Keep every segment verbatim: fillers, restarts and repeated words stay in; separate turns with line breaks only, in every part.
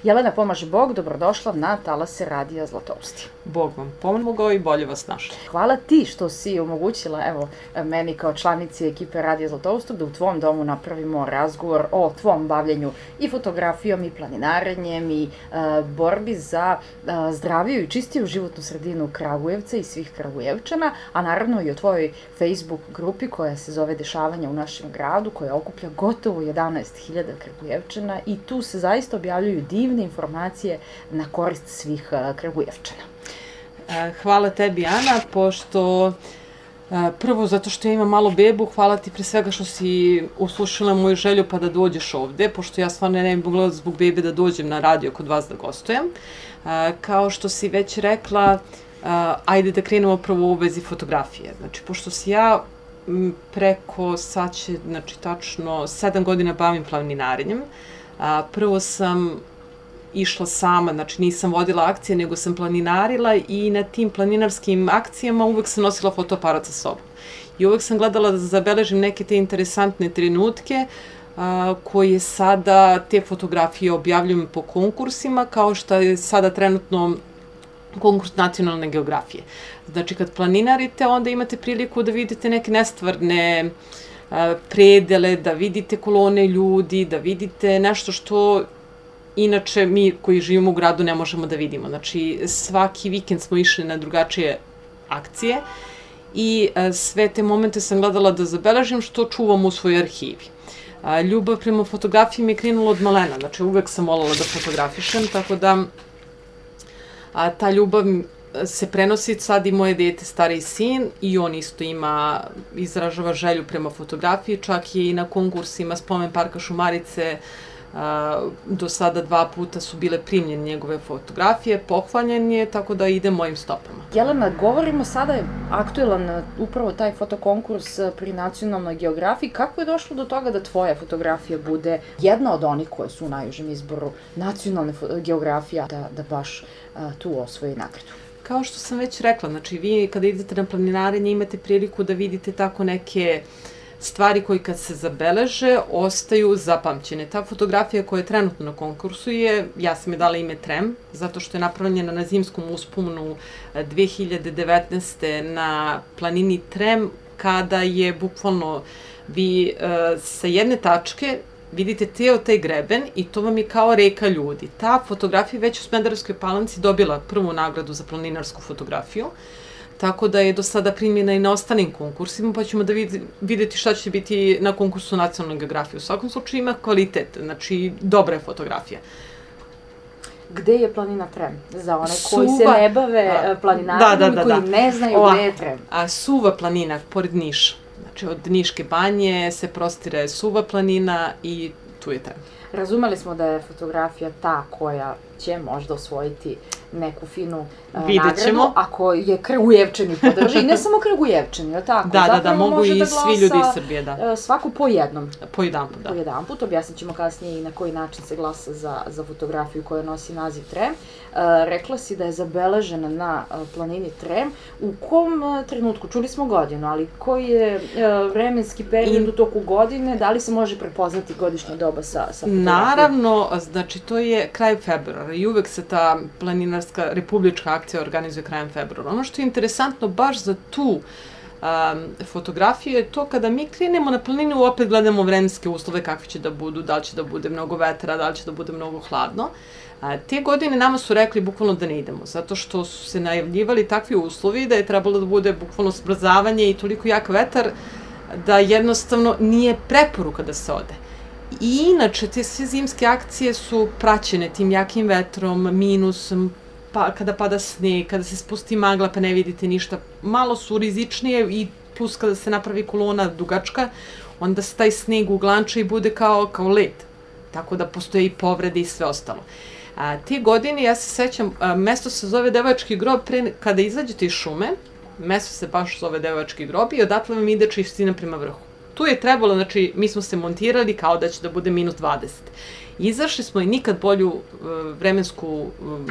Jelena, pomaže Bog, dobrodošla na Talase Radija Zlatousti.
Bog vam pomogao i bolje vas našli.
Hvala ti što si omogućila, evo, meni kao članici ekipe Radija Zlatoustu da u tvom domu napravimo razgovor o tvom bavljenju i fotografijom i planinarenjem i uh, borbi za uh, zdraviju i čistiju životnu sredinu Kragujevca i svih Kragujevčana, a naravno i o tvojoj Facebook grupi koja se zove Dešavanja u našem gradu, koja okuplja gotovo jedanaest hiljada Kragujevčana i tu se zaista objavljuju divne informacije na korist svih uh, Kragujevčana.
Hvala tebi, Ana, pošto prvo zato što ja imam malo bebu, hvala ti pre svega što si uslušala moju želju pa da dođeš ovde, pošto ja stvarno ne bih mogla zbog bebe da dođem na radio kod vas da gostujem. Kao što si već rekla, ajde da krenemo prvo u vezi fotografije. Znači, pošto si ja preko, sad će, znači, tačno sedam godina bavim planinarenjem, prvo sam išla sama, znači nisam vodila akcije, nego sam planinarila i na tim planinarskim akcijama uvek sam nosila fotoaparat sa sobom. I uvek sam gledala da zabeležim neke te interesantne trenutke a, koje sada te fotografije objavljujem po konkursima, kao što je sada trenutno konkurs nacionalne geografije. Znači kad planinarite, onda imate priliku da vidite neke nestvarne a, predele, da vidite kolone ljudi, da vidite nešto što inače, mi koji živimo u gradu ne možemo da vidimo. Znači, svaki vikend smo išli na drugačije akcije i sve te momente sam gledala da zabeležim što čuvam u svojoj arhivi. Ljubav prema fotografiji mi je krenula od malena, znači uvek sam voljela da fotografišem, tako da a, ta ljubav se prenosi sad i moje dete, stariji sin, i on isto ima, izražava želju prema fotografiji, čak je i na konkursima Spomen parka Šumarice, Uh, do sada dva puta su bile primljene njegove fotografije, pohvaljen je, tako da ide mojim stopama.
Jelena, govorimo sada, je aktuelan upravo taj fotokonkurs pri nacionalnoj geografiji. Kako je došlo do toga da tvoja fotografija bude jedna od onih koje su u najužem izboru nacionalne geografije, da, da baš uh, tu osvoji nagradu?
Kao što sam već rekla, znači vi kada idete na planinarenje imate priliku da vidite tako neke stvari koji kad se zabeleže ostaju zapamćene. Ta fotografija koja je trenutno na konkursu je, ja sam je dala ime Trem, zato što je napravljena na zimskom usponu dve hiljade devetnaeste. na planini Trem, kada je bukvalno vi uh, sa jedne tačke vidite ceo taj greben i to vam je kao reka ljudi. Ta fotografija već u Smederevskoj Palanci dobila prvu nagradu za planinarsku fotografiju, tako da je do sada primljena i na ostalim konkursima, pa ćemo da videti šta će biti na konkursu nacionalne geografije. U svakom slučaju ima kvalitet, znači dobra je fotografija.
Gde je planina Trem? Za one koji se ne bave planinarenjem i koji ne znaju gde je Trem.
A Suva planina, pored Niša. Znači od Niške banje se prostire Suva planina i tu je Trem.
Razumeli smo da je fotografija ta koja će možda osvojiti neku finu uh,
nagradu,
ako je Kragujevčani podrži. I ne samo Kragujevčani, je tako?
Da, da, da, mogu i svi ljudi iz Srbije, da.
Svaku po jednom.
Po jedan put, da.
Po jedan put, objasnit ćemo kasnije i na koji način se glasa za, za fotografiju koja nosi naziv Trem. Uh, rekla si da je zabeležena na uh, planini Trem. U kom uh, trenutku? Čuli smo godinu, ali koji je uh, vremenski period u toku godine? Da li se može prepoznati godišnja doba sa, sa fotografijom?
Naravno, znači to je kraj februara i uvek se ta planinarska republička akcija organizuje krajem februara. Ono što je interesantno baš za tu um, fotografiju je to kada mi krenemo na planinu, opet gledamo vremenske uslove kakvi će da budu, da li će da bude mnogo vetra, da li će da bude mnogo hladno. A, te godine nama su rekli bukvalno da ne idemo, zato što su se najavljivali takvi uslovi da je trebalo da bude bukvalno smrzavanje i toliko jak vetar da jednostavno nije preporuka da se ode. I inače, te sve zimske akcije su praćene tim jakim vetrom, minusom, pa, kada pada sneg, kada se spusti magla pa ne vidite ništa. Malo su rizičnije i plus kada se napravi kolona dugačka, onda se taj sneg uglanča i bude kao, kao led. Tako da postoje i povrede i sve ostalo. A, te godine, ja se sećam, a, mesto se zove Devojački grob, pre, kada izađete iz šume, mesto se baš zove Devojački grob i odatle vam ide čistina prema vrhu. Tu je trebalo, znači, mi smo se montirali kao da će da bude minus dvadeset. Izašli smo i nikad bolju uh, vremensku, um,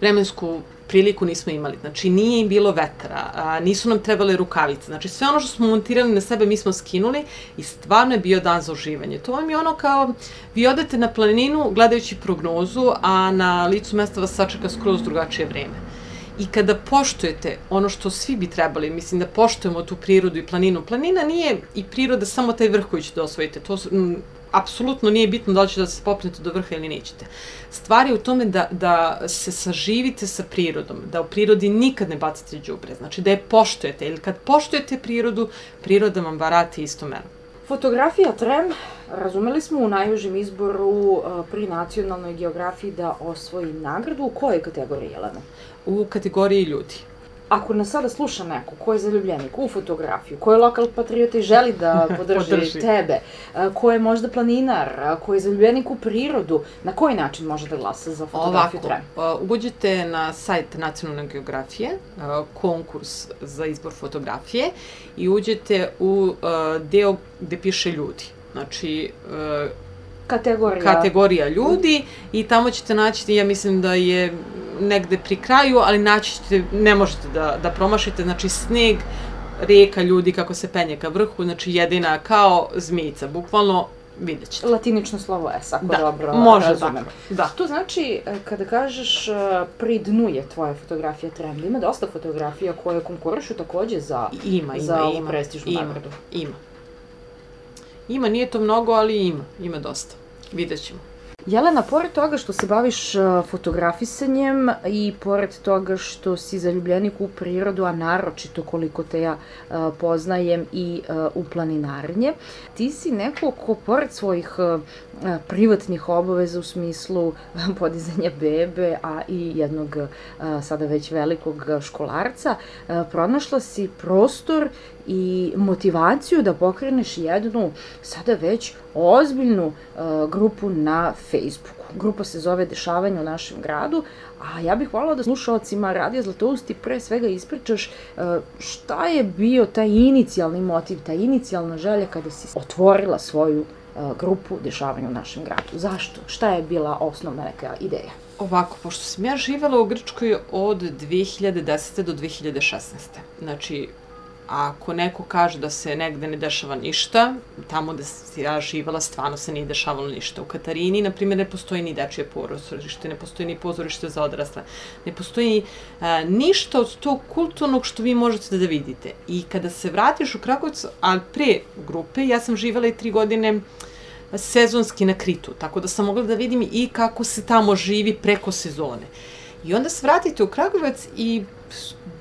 vremensku priliku nismo imali. Znači, nije im bilo vetra, a, nisu nam trebale rukavice. Znači, sve ono što smo montirali na sebe mi smo skinuli i stvarno je bio dan za uživanje. To vam je ono kao, vi odete na planinu gledajući prognozu, a na licu mesta vas sačeka skroz drugačije vreme. I kada poštujete ono što svi bi trebali, mislim da poštujemo tu prirodu i planinu. Planina nije i priroda samo taj vrh koji ćete osvojiti. To m, apsolutno nije bitno da li ćete da se popnete do vrha ili nećete. Stvar je u tome da, da se saživite sa prirodom, da u prirodi nikad ne bacite đubre, znači da je poštujete. Ili kad poštujete prirodu, priroda vam varati isto mero.
Fotografija Trem, razumeli smo u najužem izboru pri nacionalnoj geografiji da osvoji nagradu. U kojoj kategoriji, Jelena?
U kategoriji ljudi.
Ako nas sada sluša neko ko je zaljubljenik u fotografiju, ko je lokal patriota i želi da podrži, podrži tebe, ko je možda planinar, ko je zaljubljenik u prirodu, na koji način može da glasa za fotografiju Trem?
Ovako, uđete na sajt Nacionalne geografije, konkurs za izbor fotografije i uđete u deo gde piše ljudi. Znači,
Kategorija.
kategorija ljudi i tamo ćete naći, ja mislim da je negde pri kraju, ali naći ćete, ne možete da, da promašite, znači sneg, rijeka ljudi kako se penje ka vrhu, znači jedina kao zmijica, bukvalno vidjet ćete.
Latinično slovo S, ako
da,
dobro
može
razumem.
Da.
To znači, kada kažeš pri dnu je tvoja fotografija Trem, ima dosta fotografija koje konkurišu takođe za,
ima, ima,
za ovu
ima,
prestižnu
ima,
nagradu.
Ima. Ima, nije to mnogo, ali ima, ima dosta. Vidjet ćemo.
Jelena, pored toga što se baviš fotografisanjem i pored toga što si zaljubljenik u prirodu, a naročito koliko te ja poznajem i u planinarenje, ti si neko ko pored svojih privatnih obaveza u smislu podizanja bebe, a i jednog sada već velikog školarca, pronašla si prostor i motivaciju da pokreneš jednu sada već ozbiljnu uh, grupu na Facebooku. Grupa se zove Dešavanje u našem gradu, a ja bih voljela da slušalcima Radija Zlatousti pre svega ispričaš uh, šta je bio taj inicijalni motiv, ta inicijalna želja kada si otvorila svoju uh, grupu Dešavanje u našem gradu. Zašto? Šta je bila osnovna neka ideja?
Ovako, pošto sam ja živela u Grčkoj od dve hiljade desete do dve hiljade šesnaeste. Znači, ako neko kaže da se negde ne dešava ništa, tamo gde sam ja živala stvarno se nije dešavalo ništa. U Katarini, na primjer, ne postoji ni dečije pozorište, ne postoji ni pozorište za odrasle, ne postoji a, ništa od tog kulturnog što vi možete da vidite. I kada se vratiš u Kragujevac, a pre grupe, ja sam živala i tri godine sezonski na Kritu, tako da sam mogla da vidim i kako se tamo živi preko sezone. I onda se vratite u Kragujevac i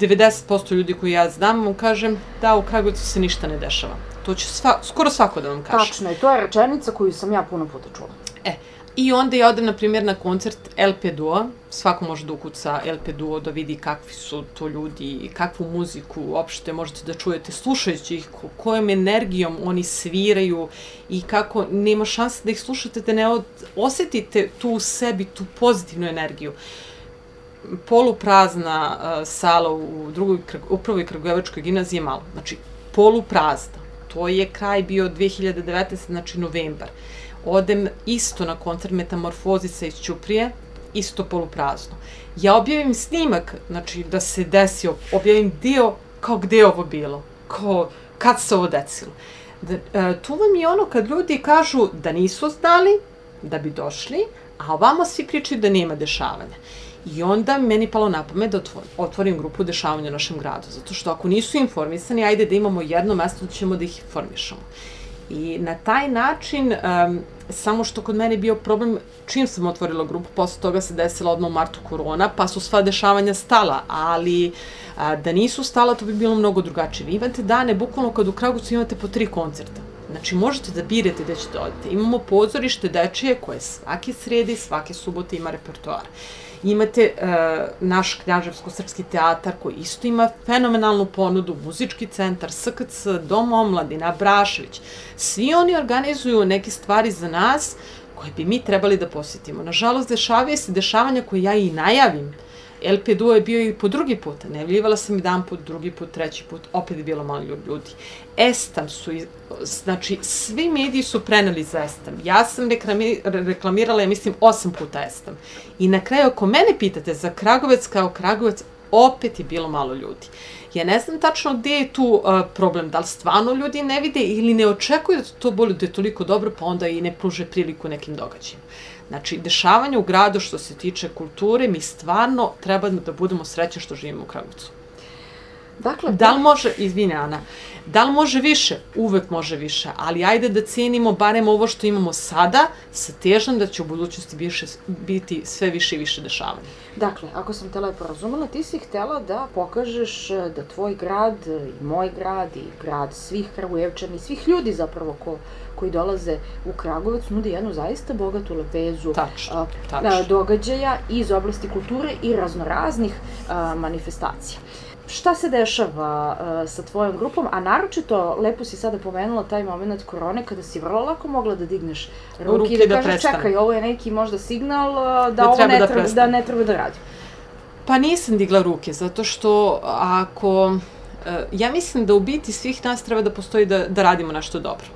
devedeset posto ljudi koji ja znam vam kažem da u Kragujevcu se ništa ne dešava. To će sva, skoro svako da vam kaže.
Tačno, i to je rečenica koju sam ja puno puta čula.
E, i onda ja odem, na primjer, na koncert el pe Duo. Svako može da ukuca el pe Duo, da vidi kakvi su to ljudi, kakvu muziku uopšte možete da čujete, slušajući ih, kojom energijom oni sviraju i kako nema šanse da ih slušate, da ne od, osetite tu u sebi, tu pozitivnu energiju. Poluprazna uh, sala u drugoj, u prvoj Kragujevačkoj gimnaziji je malo. Znači, poluprazna. To je kraj bio dve hiljade devetnaeste. znači novembar. Odem isto na koncert Metamorfozica iz Ćuprije, isto poluprazno. Ja objavim snimak, znači da se desio, objavim dio kao gde je ovo bilo, kao kad se ovo desilo. Da, uh, tu vam je ono kad ljudi kažu da nisu znali, da bi došli, a ovamo svi pričaju da nema dešavanja. I onda meni palo na pamet da otvorim grupu Dešavanja u našem gradu, zato što ako nisu informisani, ajde da imamo jedno mesto da ćemo da ih informišemo. I na taj način, um, samo što kod mene je bio problem, čim sam otvorila grupu, posle toga se desila odmah u martu korona, pa su sva dešavanja stala, ali a, da nisu stala, to bi bilo mnogo drugačije. Vi imate dane, bukvalno kad u Kragujevcu imate po tri koncerta. Znači, možete da birate gde ćete odete. Imamo pozorište dečije koje svake srede i svake subote ima repertoar. Imate uh, naš Knjaževsko-srpski teatar koji isto ima fenomenalnu ponudu, muzički centar, es ka ce, Dom omladine, Abrašević. Svi oni organizuju neke stvari za nas koje bi mi trebali da posjetimo. Nažalost, dešavaju se dešavanja koje ja i najavim El pe duo je bio i po drugi put, najavljivala sam jedan put, drugi put, treći put, opet je bilo malo ljudi. Estam su, znači, svi mediji su preneli za Estam. Ja sam reklamirala, ja mislim, osam puta Estam. I na kraju, ako mene pitate za Kragujevac kao Kragujevac, opet je bilo malo ljudi. Ja ne znam tačno gde je tu uh, problem, da li stvarno ljudi ne vide ili ne očekuju da to bude toliko dobro, pa onda i ne pruže priliku nekim događajima. Znači, dešavanje u gradu što se tiče kulture, mi stvarno treba da budemo srećni što živimo u Kragujevcu. Dakle, da li može, izvini Ana, da li može više? Uvek može više, ali ajde da cenimo barem ovo što imamo sada, sa težnjom da će u budućnosti više, biti sve više i više dešavanja.
Dakle, ako sam te lepo razumela, ti si htela da pokažeš da tvoj grad i moj grad i grad svih Kragujevčana i svih ljudi zapravo ko, koji dolaze u Kragujevac nudi jednu zaista bogatu lepezu
tačno,
a,
tačno.
događaja iz oblasti kulture i raznoraznih a, manifestacija. Šta se dešava uh, sa tvojom grupom, a naročito, lepo si sada pomenula taj moment korone kada si vrlo lako mogla da digneš ruke, ruke i da, da kažeš čekaj, ovo je neki možda signal uh, da, da ovo ne da, treba, da ne treba da radi.
Pa nisam digla ruke, zato što ako, uh, ja mislim da u biti svih nas treba da postoji da, da radimo nešto dobro.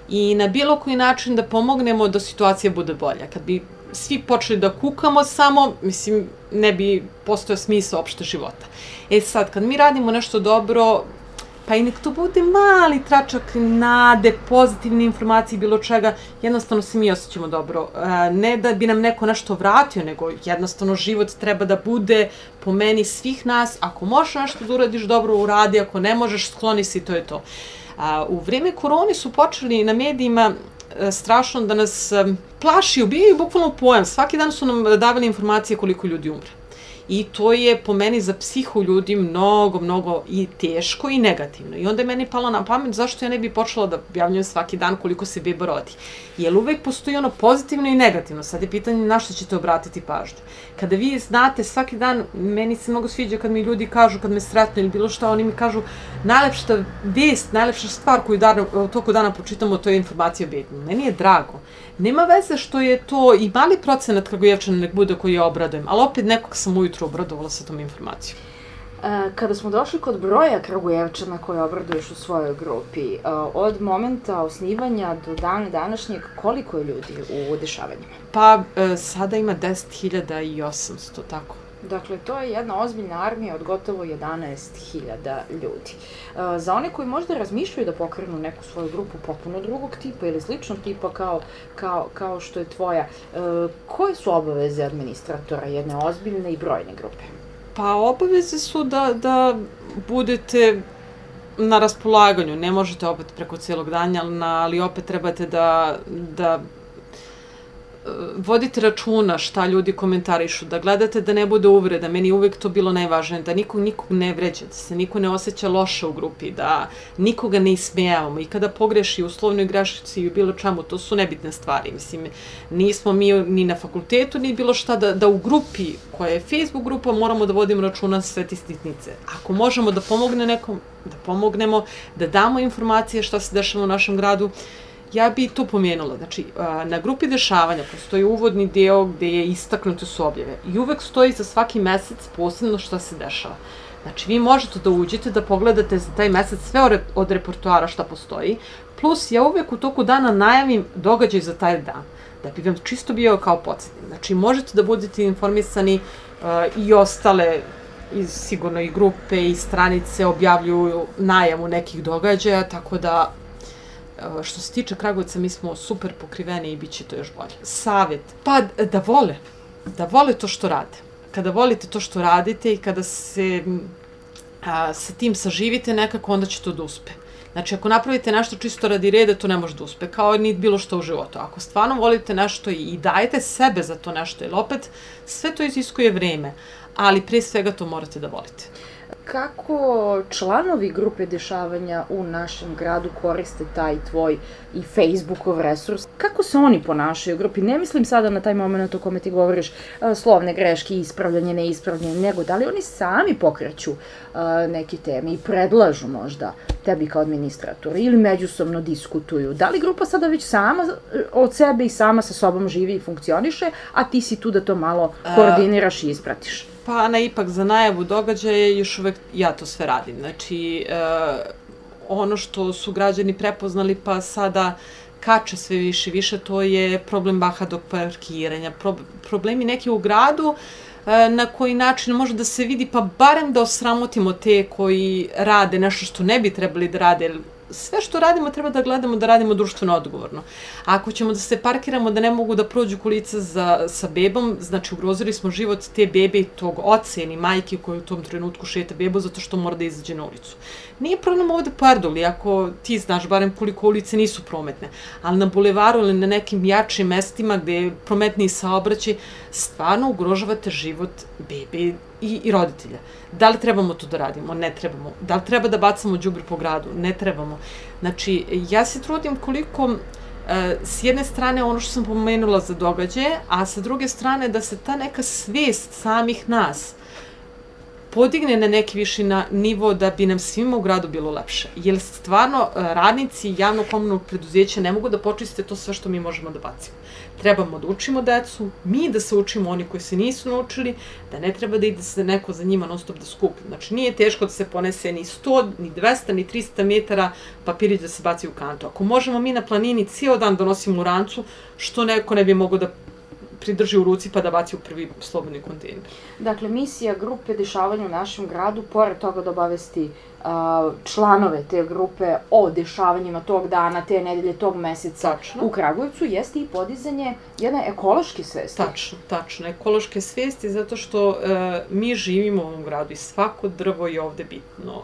I na bilo koji način da pomognemo da situacija bude bolja. Kad bi svi počeli da kukamo samo, mislim, ne bi postojao smisao opšte života. E sad, kad mi radimo nešto dobro, pa i nek to bude mali tračak nade, pozitivne informacije, bilo čega, jednostavno se mi osjećamo dobro. Ne da bi nam neko nešto vratio, nego jednostavno život treba da bude po meni svih nas. Ako možeš nešto da uradiš dobro, uradi, ako ne možeš, skloni se i to je to. U vreme korone su počeli na medijima strašno da nas plaši, ubijaju bukvalno pojam. Svaki dan su nam davali informacije koliko ljudi umre. I to je po meni za psihu ljudi mnogo, mnogo i teško i negativno. I onda je meni palo na pamet zašto ja ne bi počela da objavljujem svaki dan koliko se beba rodi. Jer uvek postoji ono pozitivno i negativno. Sad je pitanje na što ćete obratiti pažnju. Kada vi znate svaki dan, meni se mnogo sviđa kad mi ljudi kažu, kad me sretnu ili bilo šta, oni mi kažu najlepša vest, najlepša stvar koju dan, u toku dana pročitamo, to je informacija o bebi. Meni je drago. Nema veze što je to i mali procenat Kragujevčana nek bude koji ja obradujem, ali opet nekog sam ujutru obradovala sa tom informacijom.
Kada smo došli kod broja Kragujevčana koje obraduješ u svojoj grupi, od momenta osnivanja do dana današnjeg, koliko je ljudi u dešavanjima?
Pa sada ima deset hiljada osamsto, tako.
Dakle, to je jedna ozbiljna armija od gotovo jedanaest hiljada ljudi. Za one koji možda razmišljaju da pokrenu neku svoju grupu potpuno drugog tipa ili sličnog tipa kao, kao, kao što je tvoja, koje su obaveze administratora jedne ozbiljne i brojne grupe?
Pa obaveze su da, da budete na raspolaganju, ne možete opet preko cijelog dana, ali opet trebate da, da vodite računa šta ljudi komentarišu, da gledate da ne bude uvreda, meni je uvek to bilo najvažnije, da nikog nikog ne vređa, da se niko ne osjeća loše u grupi, da nikoga ne ismejavamo i kada pogreši u slovnoj grešci i u bilo čemu, to su nebitne stvari. Mislim, nismo mi ni na fakultetu, ni bilo šta, da, da u grupi koja je Facebook grupa moramo da vodimo računa sve ti sitnice. Ako možemo da pomogne nekom, da pomognemo, da damo informacije šta se dešava u našem gradu, ja bi to pomenula. Znači, na grupi dešavanja postoji uvodni deo gde je istaknute su objave i uvek stoji za svaki mesec posebno šta se dešava. Znači, vi možete da uđete, da pogledate za taj mesec sve od repertoara šta postoji, plus ja uvek u toku dana najavim događaj za taj dan, da bi vam čisto bio kao podsjetnik. Znači, možete da budete informisani i ostale, sigurno i grupe i stranice objavljuju najavu nekih događaja, tako da što se tiče Kragujevca, mi smo super pokriveni i bit će to još bolje. Savjet, pa da vole, da vole to što rade. Kada volite to što radite i kada se a, sa tim saživite nekako, onda će to da uspe. Znači, ako napravite nešto čisto radi reda, to ne može da uspe, kao ni bilo što u životu. Ako stvarno volite nešto i dajete sebe za to nešto, jer opet sve to iziskuje vreme, ali pre svega to morate da volite.
Kako članovi grupe dešavanja u našem gradu koriste taj tvoj i Facebookov resurs? Kako se oni ponašaju u grupi? Ne mislim sada na taj moment o kome ti govoriš slovne greške, ispravljanje, neispravljanje, nego da li oni sami pokreću neke teme i predlažu možda tebi kao administratoru ili međusobno diskutuju? Da li grupa sada već sama od sebe i sama sa sobom živi i funkcioniše, a ti si tu da to malo koordiniraš i ispratiš?
Pa Ana, ipak za najavu događaja još uvek ja to sve radim. Znači, ono što su građani prepoznali pa sada kače sve više i više, to je problem bahadog parkiranja, problemi neki u gradu, na koji način može da se vidi, pa barem da osramotimo te koji rade nešto što ne bi trebali da rade. Sve što radimo treba da gledamo da radimo društveno odgovorno. Ako ćemo da se parkiramo da ne mogu da prođu kolica sa bebom, znači ugrozili smo život te bebe i tog oca ili majke koji u tom trenutku šeta bebu zato što mora da izađe na ulicu. Nije problem ovde po Erdoli, ako ti znaš barem koliko ulice nisu prometne, ali na bulevaru ili na nekim jačim mestima gde je prometniji saobraćaj, stvarno ugrožavate život bebe i roditelja. Da li trebamo to da radimo? Ne trebamo. Da li treba da bacamo đubre po gradu? Ne trebamo. Znači, ja se trudim koliko s jedne strane ono što sam pomenula za događaje, a sa druge strane da se ta neka svest samih nas podigne na neki viši nivo da bi nam svima u gradu bilo lepše. Jer stvarno radnici javnog komunalnog preduzeća ne mogu da počiste to sve što mi možemo da bacimo. Trebamo da učimo decu, mi da se učimo oni koji se nisu naučili, da ne treba da ide se neko za njima non stop da skupi. Znači nije teško da se ponese ni sto, ni dvesta, ni trista metara papirić da se baci u kantu. Ako možemo mi na planini cijel dan donosimo u rancu, što neko ne bi mogao da pridrži u ruci pa da baci u prvi slobodni kontejner.
Dakle, misija grupe dešavanja u našem gradu, pored toga da obavesti članove te grupe o dešavanjima tog dana, te nedelje, tog meseca u Kragujevcu, jeste i podizanje jedne ekološke svesti.
Tačno, tačno. Ekološke svesti zato što mi živimo u ovom gradu i svako drvo je ovde bitno.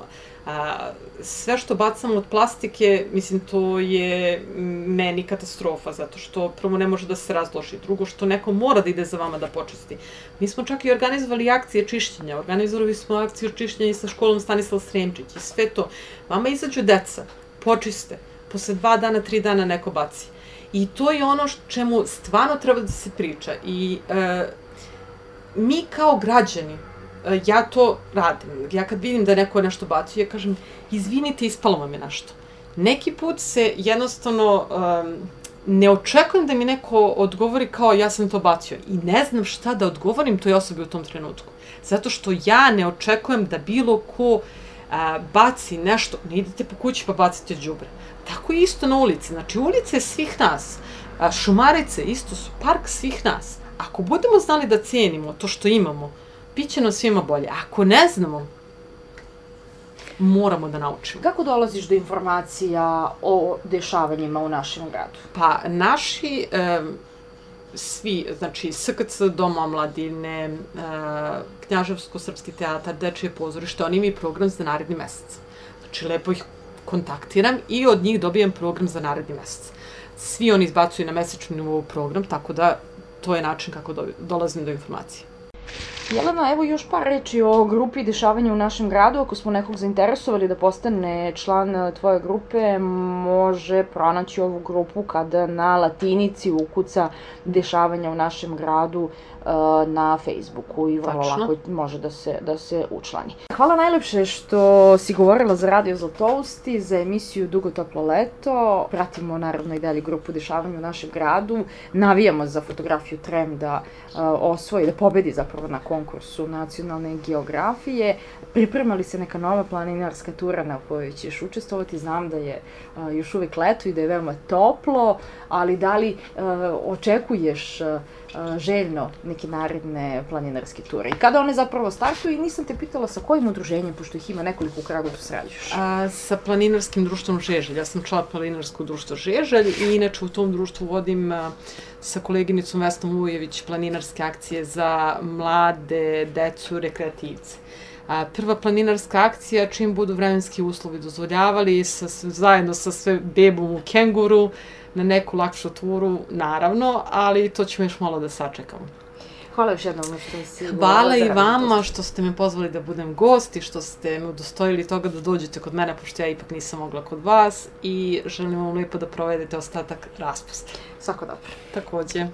Sve što bacamo od plastike, mislim, to je meni katastrofa, zato što prvo ne može da se razloži, drugo što neko mora da ide za vama da počisti. Mi smo čak i organizovali akcije čišćenja, organizovali smo akciju čišćenja i sa školom Stanislav Sremčić i sve to. Vama izađu deca, počiste, posle dva dana, tri dana neko baci. I to je ono čemu stvarno treba da se priča. I mi kao građani, ja to radim. Ja kad vidim da neko nešto bacio, ja kažem, izvinite, ispalo vam je nešto. Neki put se jednostavno ne očekujem da mi neko odgovori kao ja sam to bacio i ne znam šta da odgovorim toj osobi u tom trenutku. Zato što ja ne očekujem da bilo ko baci nešto, ne idete po kući pa bacite đubre. Tako je isto na ulici. Znači, ulica je svih nas. Šumarice isto su park svih nas. Ako budemo znali da cenimo to što imamo, bit će nam svima bolje. Ako ne znamo, moramo da naučimo.
Kako dolaziš do informacija o dešavanjima u našem gradu?
Pa, naši svi, znači S K C, Dom omladine, Knjaževsko-srpski teatar, Dečije pozorište, oni imaju program za naredni mesec. Znači, lepo ih kontaktiram i od njih dobijem program za naredni mesec. Svi oni izbacuju na mesečnom nivou program, tako da to je način kako dolazim do informacije.
Jelena, evo još par reči o grupi dešavanja u našem gradu. Ako smo nekog zainteresovali da postane član tvoje grupe, može pronaći ovu grupu kada na latinici ukuca dešavanja u našem gradu na Facebooku i vrlo lako može da se učlani. Hvala najlepše što si govorila za Radio Zlatousti, za emisiju Dugo toplo leto. Pratimo naravno i dalje grupu dešavanja u našem gradu. Navijamo za fotografiju Trem da osvoji, da pobedi zapravo na konkursu nacionalne geografije. Priprema li se neka nova planinarska tura na kojoj ćeš učestvovati? Znam da je još uvek leto i da je veoma toplo, ali da li očekuješ željno neke naredne planinarske ture? I kada one zapravo startuju? I nisam te pitala sa kojim udruženjem, pošto ih ima nekoliko u Kragujevcu, sarađuješ?
Sa planinarskim društvom Žeželj. Ja sam član planinarskog društva Žeželj i inače u tom društvu vodim sa koleginicom Vesnom Vujević planinarske akcije za mlade, decu, rekreativce. Prva planinarska akcija, čim budu vremenski uslovi dozvoljavali, zajedno sa sve bebom u kenguru, na neku lakšu turu, naravno, ali to ćemo još malo da sačekamo.
Hvala još jednom što si...
Hvala i vama što ste me pozvali da budem gost i što ste me udostojili toga da dođete kod mene, pošto ja ipak nisam mogla kod vas i želim vam lepo da provedete ostatak raspusta.
Svako dobro.
Takođe.